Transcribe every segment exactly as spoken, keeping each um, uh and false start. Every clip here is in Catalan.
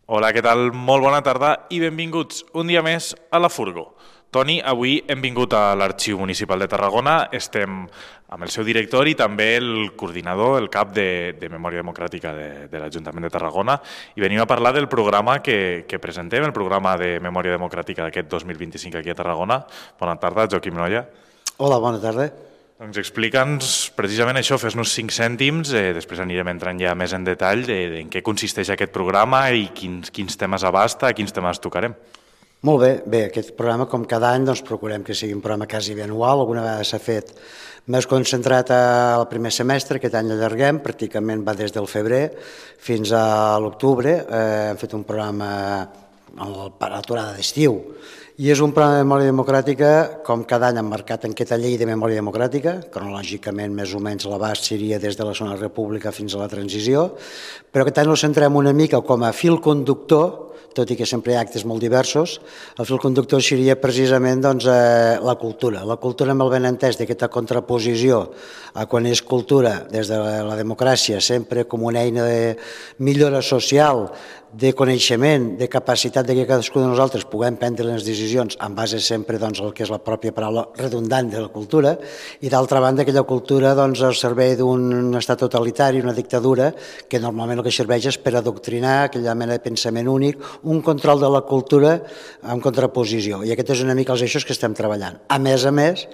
Hola, què tal? Molt bona tarda i benvinguts un dia més a la Furgo. Toni, avui hem vingut a l'Arxiu Municipal de Tarragona, estem amb el seu director i també el coordinador, el cap de, de Memòria Democràtica de, de l'Ajuntament de Tarragona, i venim a parlar del programa que, que presentem, el programa de Memòria Democràtica d'aquest dos mil vint-i-cinc aquí a Tarragona. Bona tarda, Joaquim Nolla. Hola, bona tarda. Doncs explica'ns precisament això, fes-nos cinc cèntims, eh, després anirem entrant ja més en detall de, de en què consisteix aquest programa i quins, quins temes abasta, quins temes tocarem. Molt bé, bé, aquest programa, com cada any, doncs procurem que sigui un programa quasi anual. Alguna vegada s'ha fet més concentrat al primer semestre, aquest any allarguem, pràcticament va des del febrer fins a l'octubre. Eh, hem fet un programa a l'aturada d'estiu. I és un programa de memòria democràtica, com cada any emmarcat en aquesta llei de memòria democràtica, cronològicament més o menys l'abast seria des de la Segona República fins a la transició, però aquest any ens centrem una mica com a fil conductor, tot i que sempre hi ha actes molt diversos. El fil conductor seria precisament doncs, eh, la cultura. La cultura amb el benentès d'aquesta contraposició a quan és cultura des de la democràcia, sempre com una eina de millora social, de coneixement, de capacitat de que cadascú de nosaltres puguem prendre les decisions en base sempre doncs, al que és la pròpia paraula redundant de la cultura, i d'altra banda aquella cultura doncs, al servei d'un estat totalitari, una dictadura, que normalment el que serveix és per adoctrinar aquella mena de pensament únic, un control de la cultura en contraposició, i aquest és una mica els eixos que estem treballant. A més a més,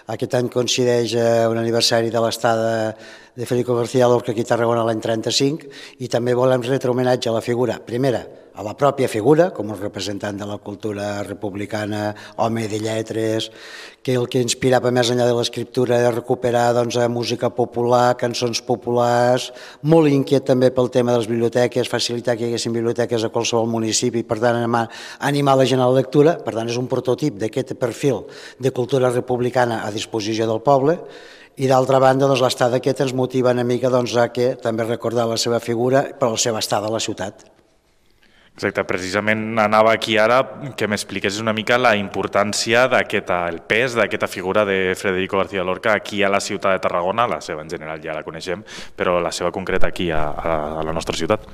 aquest any coincideix un aniversari de l'estada de Federico García Lorca aquí a Tarragona l'any trenta-cinc, i també volem retre homenatge a la figura, primera, a la pròpia figura, com a representant de la cultura republicana, home de lletres, que el que inspirava més enllà de l'escriptura era recuperar doncs, música popular, cançons populars, molt inquiet també pel tema de les biblioteques, facilitar que hi haguessin biblioteques a qualsevol municipi, per tant animar la gent a la lectura, per tant és un prototip d'aquest perfil de cultura republicana a disposició del poble. I d'altra banda, doncs, l'estada aquesta ens motiva una mica doncs, a que també recordar la seva figura per la seva estada a la ciutat. Exacte, precisament anava aquí ara que m'expliqués una mica la importància d'aquest, el pes d'aquesta figura de Federico García Lorca aquí a la ciutat de Tarragona, la seva en general ja la coneixem, però la seva concreta aquí a, a la nostra ciutat.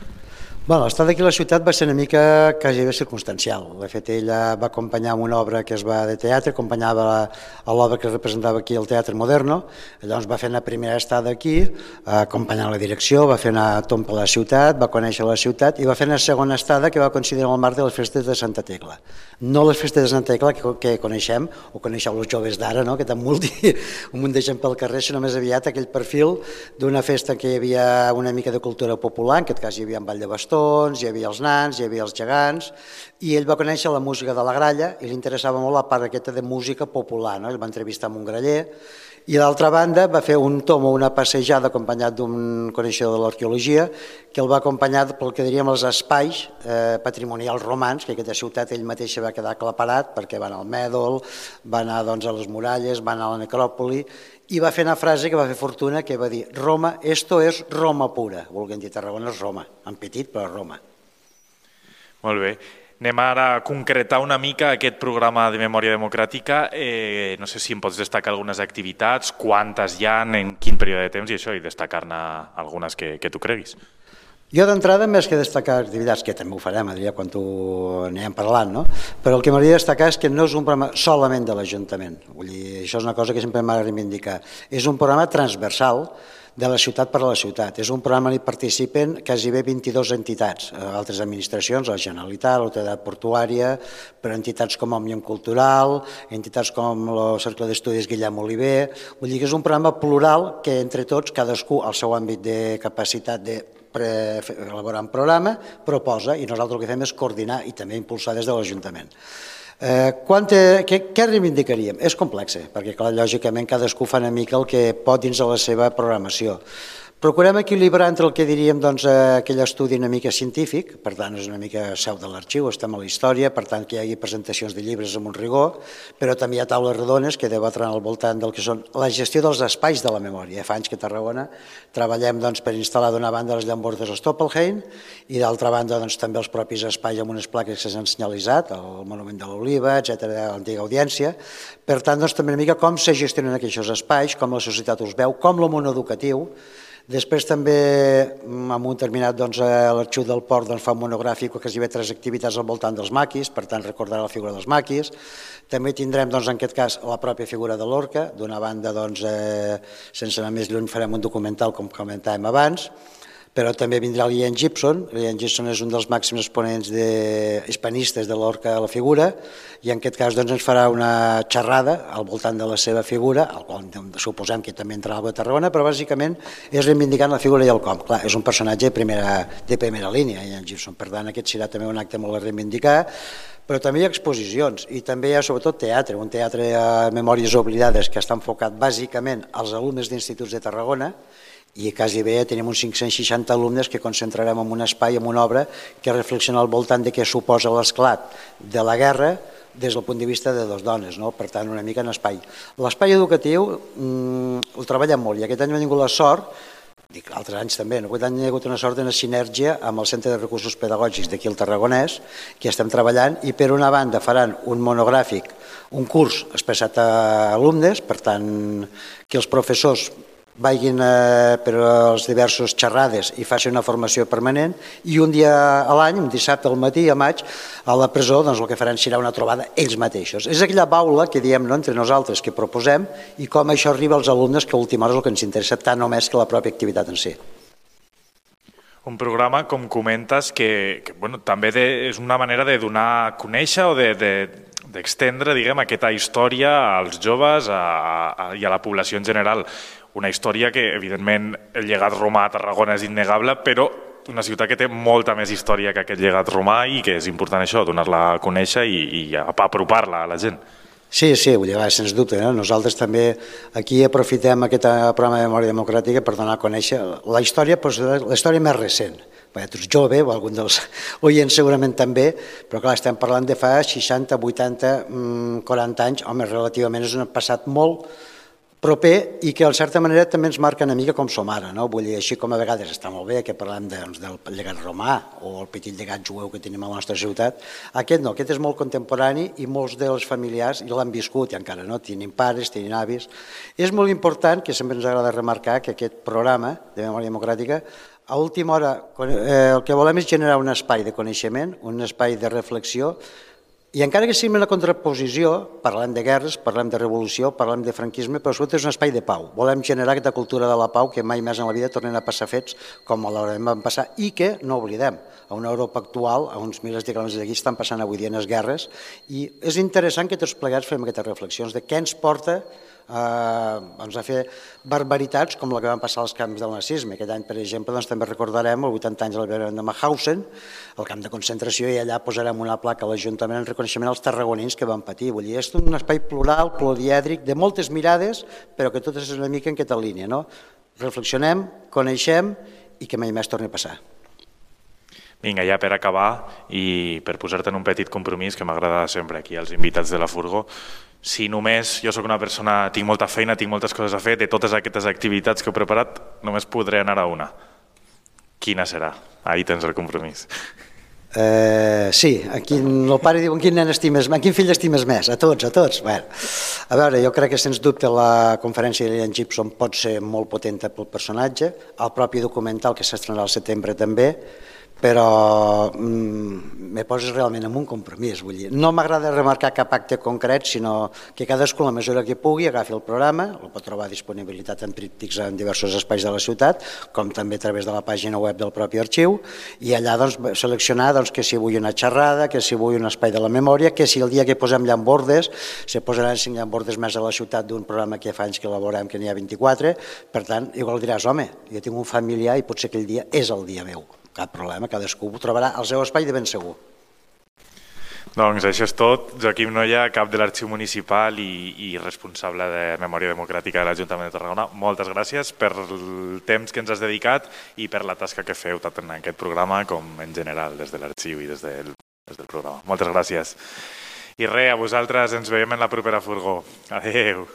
Bueno, l'estada aquí a la ciutat va ser una mica quasi bé circumstancial. De fet, ella va acompanyar amb una obra que es va de teatre, acompanyava l'obra que representava aquí el Teatre Moderno, llavors va fer una primera estada aquí, acompanyant la direcció, va fer una tomba a la ciutat, va conèixer la ciutat i va fer una segona estada que va coincidir en el marc de les festes de Santa Tecla. No les festes de Santa Tecla que, que coneixem, o coneixeu els joves d'ara, no? Que tan multi, un munt de gent pel carrer, sinó més aviat aquell perfil d'una festa en què hi havia una mica de cultura popular, en aquest cas hi havia un ball de bastó, hi havia els nans, hi havia els gegants, i ell va conèixer la música de la gralla i li interessava molt la part aquesta de música popular, no? Ell va entrevistar amb un graller, i d'altra banda va fer un tom o una passejada acompanyat d'un coneixedor de l'arqueologia que el va acompanyar pel que diríem els espais eh, patrimonials romans, que aquesta ciutat ell mateix va quedar aclaparat perquè va anar al Mèdol, va anar doncs, a les muralles, va anar a la necròpoli, i va fer una frase que va fer fortuna, que va dir Roma, esto es Roma pura, volguem dir Tarragona és Roma, en petit però Roma. Molt bé. Anem ara a concretar una mica aquest programa de memòria democràtica. Eh, no sé si em pots destacar algunes activitats, quantes hi ha, en quin període de temps i això, i destacar-ne algunes que, que tu creguis. Jo d'entrada, més que destacar activitats, que també ho farem, Adrià, quan tu anirem parlant, no? Però el que m'hauria de destacar és que no és un programa solament de l'Ajuntament. Vull dir, això és una cosa que sempre m'ha de reivindicar. És un programa transversal de la ciutat per a la ciutat. És un programa on hi participen quasi bé vint-i-dues entitats, altres administracions, la Generalitat, l'Autoritat Portuària, però entitats com Òmnium Cultural, entitats com el Cercle d'Estudis Guillem Oliver. Vull dir que és un programa plural que entre tots, cadascú al seu àmbit de capacitat de elaborar un programa, proposa, i nosaltres el que fem és coordinar i també impulsar des de l'Ajuntament. Eh, què, què reivindicaríem? És complex, perquè clar, lògicament cadascú fa una mica el que pot dins de la seva programació. Procurem equilibrar entre el que diríem doncs, aquell estudi una mica científic, per tant és una mica seu de l'arxiu, estem a la història, per tant que hi hagi presentacions de llibres amb un rigor, però també hi ha taules rodones que debatran al voltant del que són la gestió dels espais de la memòria. Fa anys que a Tarragona treballem doncs, per instal·lar d'una banda les llambordes a Stoppelheim i d'altra banda doncs, també els propis espais amb unes plaques que s'han senyalitzat, el Monument de l'Oliva, etcètera, l'antiga audiència. Per tant, doncs, també una mica com se gestionen aquests espais, com la societat us veu, com el món educatiu. Després també, en un terminat, l'Arxiu del Port fa un monogràfic que hi ha tres activitats al voltant dels maquis, per tant recordarà la figura dels maquis. També tindrem, en aquest cas, la pròpia figura de l'orca. D'una banda, sense anar més lluny, farem un documental, com comentàvem abans, però també vindrà l'Ian Gibson. L'Ian Gibson és un dels màxims exponents hispanistes de l'orca a la figura, i en aquest cas ens farà una xerrada al voltant de la seva figura, al qual suposem que també entrarà a Tarragona, però bàsicament és reivindicant la figura i el com. Clar, és un personatge de primera línia, Ian Gibson, per tant aquest serà també un acte molt a reivindicar, però també hi ha exposicions i també hi ha sobretot teatre, un teatre a Memòries Oblidades que està enfocat bàsicament als alumnes d'instituts de Tarragona, i quasi bé tenim uns cinc-cents seixanta alumnes que concentrarem en un espai, en una obra que reflexiona al voltant de què suposa l'esclat de la guerra des del punt de vista de dues dones, per tant una mica en espai. L'espai educatiu el treballem molt i aquest any hem tingut la sort, dic altres anys també, aquest any hi ha hagut una sort d'una sinergia amb el Centre de Recursos Pedagògics d'aquí al Tarragonès, que estem treballant, i per una banda faran un monogràfic, un curs expressat a alumnes, per tant que els professors vagin per les diverses xerrades i facin una formació permanent, i un dia a l'any, un dissabte al matí, a maig, a la presó, doncs el que faran serà una trobada ells mateixos. És aquella baula que diem entre nosaltres que proposem i com això arriba als alumnes, que a última hora és el que ens interessa tant o més que la pròpia activitat en si. Un programa, com comentes, que també és una manera de donar a conèixer o d'estendre aquesta història als joves i a la població en general. Una història que, evidentment, el llegat romà a Tarragona és innegable, però una ciutat que té molta més història que aquest llegat romà i que és important això, donar-la a conèixer i apropar-la a la gent. Sí, sí, vull dir, sens dubte. Nosaltres també aquí aprofitem aquest programa de memòria democràtica per donar a conèixer la història, la història més recent. Tu ets jove, o algun dels oients segurament també, però clar, estem parlant de fa seixanta, vuitanta, quaranta anys, home, relativament és un passat molt proper i que, en certa manera, també ens marca una mica com som ara. Vull dir, així com a vegades està molt bé que parlem del llegat romà o el petit llegat jueu que tenim a la nostra ciutat, aquest no, aquest és molt contemporani i molts dels familiars l'han viscut i encara no, tenim pares, tenim avis. És molt important, que sempre ens agrada remarcar, que aquest programa de memòria democràtica, a última hora, el que volem és generar un espai de coneixement, un espai de reflexió, i encara que sigui una contraposició, parlem de guerres, parlem de revolució, parlem de franquisme, però sobretot és un espai de pau. Volem generar aquesta cultura de la pau que mai més en la vida tornen a passar fets com malauradament van passar i que, no oblidem, a una Europa actual, a uns milers de quilòmetres d'aquí, estan passant avui dia en les guerres, i és interessant que tots plegats fem aquestes reflexions de què ens porta a fer barbaritats com la que van passar als camps del nazisme. Aquest any, per exemple, també recordarem els vuitanta anys de l'alliberament de Mauthausen, el camp de concentració, i allà posarem una placa a l'Ajuntament en reconeixement als tarragonins que van patir. Vull dir, és un espai plural, plurièdric, de moltes mirades, però que totes és una mica en aquesta línia. Reflexionem, coneixem i que mai més torni a passar. Vinga, ja per acabar i per posar-te en un petit compromís que m'agrada sempre aquí als invitats de la Furgo, si només jo sóc una persona, tinc molta feina, tinc moltes coses a fer, de totes aquestes activitats que he preparat, només podré anar a una. Quina serà? Ahí tens el compromís. Sí, el pare diu, en quin nen estimes més, en quin fill estimes més? A tots, a tots. A veure, jo crec que sens dubte la conferència de Ian Gibson pot ser molt potent pel personatge, el propi documental que s'estrenarà al setembre també, però me poses realment en un compromís. No m'agrada remarcar cap acte concret, sinó que cadascú, a la mesura que pugui, agafi el programa, el pot trobar a disponibilitat en tríptics en diversos espais de la ciutat, com també a través de la pàgina web del propi arxiu, i allà seleccionar que si vull una xerrada, que si vull un espai de la memòria, que si el dia que posem llambordes, se posaran cinc llambordes més a la ciutat d'un programa que fa anys que elaborem, que n'hi ha vint-i-quatre, per tant, igual diràs, home, jo tinc un familiar i potser aquell dia és el dia meu. Cap problema, cadascú trobarà el seu espai de ben segur. Doncs això és tot. Joaquim Nolla, cap de l'Arxiu Municipal i responsable de Memòria Democràtica de l'Ajuntament de Tarragona, moltes gràcies per el temps que ens has dedicat i per la tasca que feu tant en aquest programa com en general des de l'Arxiu i des del programa. Moltes gràcies. I res, a vosaltres ens veiem en la propera Furgó. Adéu.